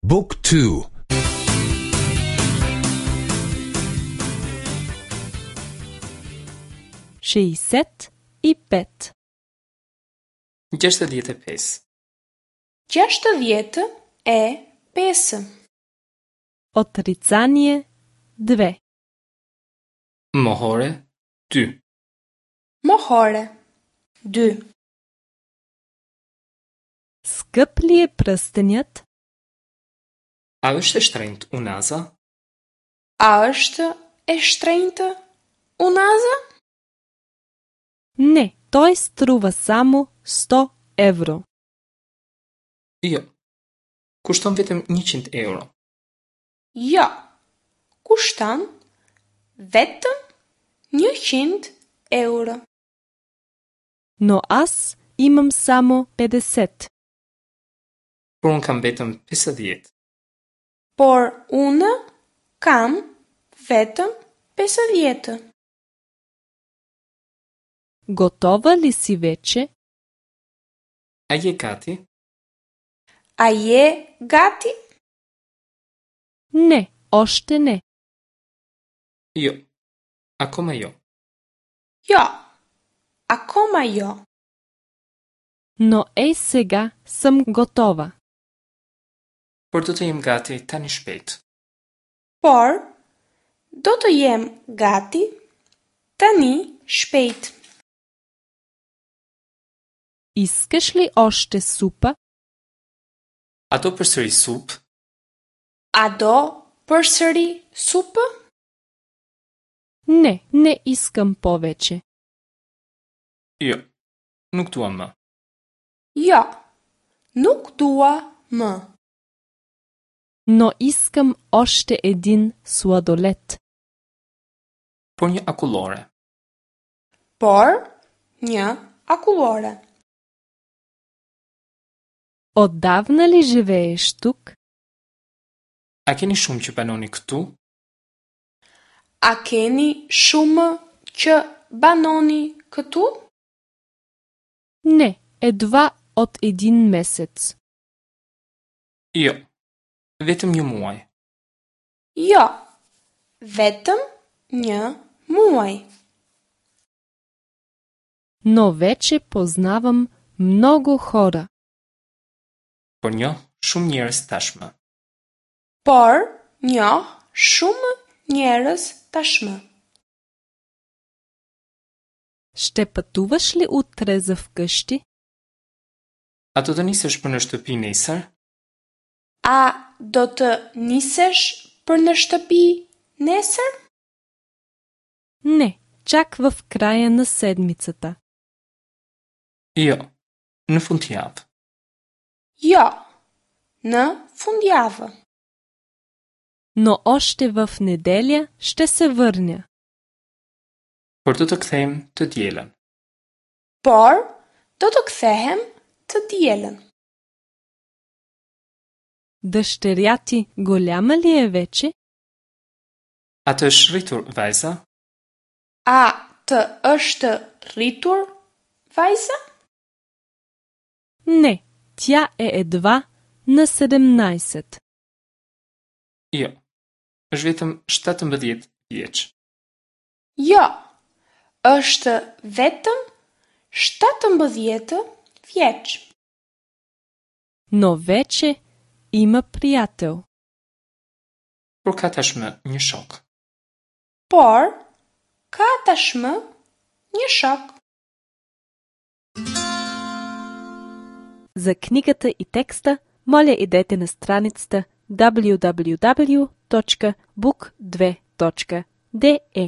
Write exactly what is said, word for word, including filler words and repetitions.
Book two. Шейсет и пет. Gjashtëdhjetë e pesë. Gjashtëdhjetë e pesë. Отрицание две. Mohore dy. Mohore dy. Скъп ли е пръстенят? A është e shtrenjtë unaza? A është e shtrenjtë unaza? Не, той струва само сто евро. Jo. Kushton vetëm njëqind euro. Jo. Kushton vetëm njëqind euro. Но аз имам само петдесет. Por unë kam vetëm pesëdhjetë. Por unë kam vetëm pesëdhjetë. Готова ли си вече? A je gati? A je gati? Не, още не. Jo. Akoma jo. Jo. Akoma jo. Но ей сега съм готова. Por do të jem gati tani shpejt. Por do të jem gati tani shpejt. Искаш ли още супа? A do përsëri supë? A do përsëri supë? Не, не искам повече. Jo. Nuk dua më. Jo. Nuk dua më. Но искам още един сладолед. Por një akullore. Por një akullore. Отдавна ли живееш тук? A keni shumë që banoni këtu? A keni shumë që banoni këtu? Не, едва от един месец. Jo. Vetëm një muaj. Jo. Vetëm një muaj. Но вече познавам много хора. Por njoh shumë njerëz tashmë. Por njoh shumë njerëz tashmë. Ще пътуваш ли утре за вкъщи? A do të nisesh për në shtëpi nesër? A do të nisesh për në shtëpi nesër? Не, чак в края на седмицата. Jo. Në fundjavë. Jo. Në fundjavë. Но още в неделя ще се върня. Por do të kthehem të dielën. Por do të kthehem të dielën. Дъщеря ти голяма ли е вече? A të është rritur vajza? A të është rritur vajza? Не, тя е едва на седемнайсет. Jo. Është vetëm shtatëmbëdhjetë vjeç. Jo. Është vetëm shtatëmbëdhjetë vjeç. Но вече има приятел. Por ka tashmë një shok. Por ka tashmë një shok. За книгата и текста, моля идете на страницата w w w точка book две точка d e.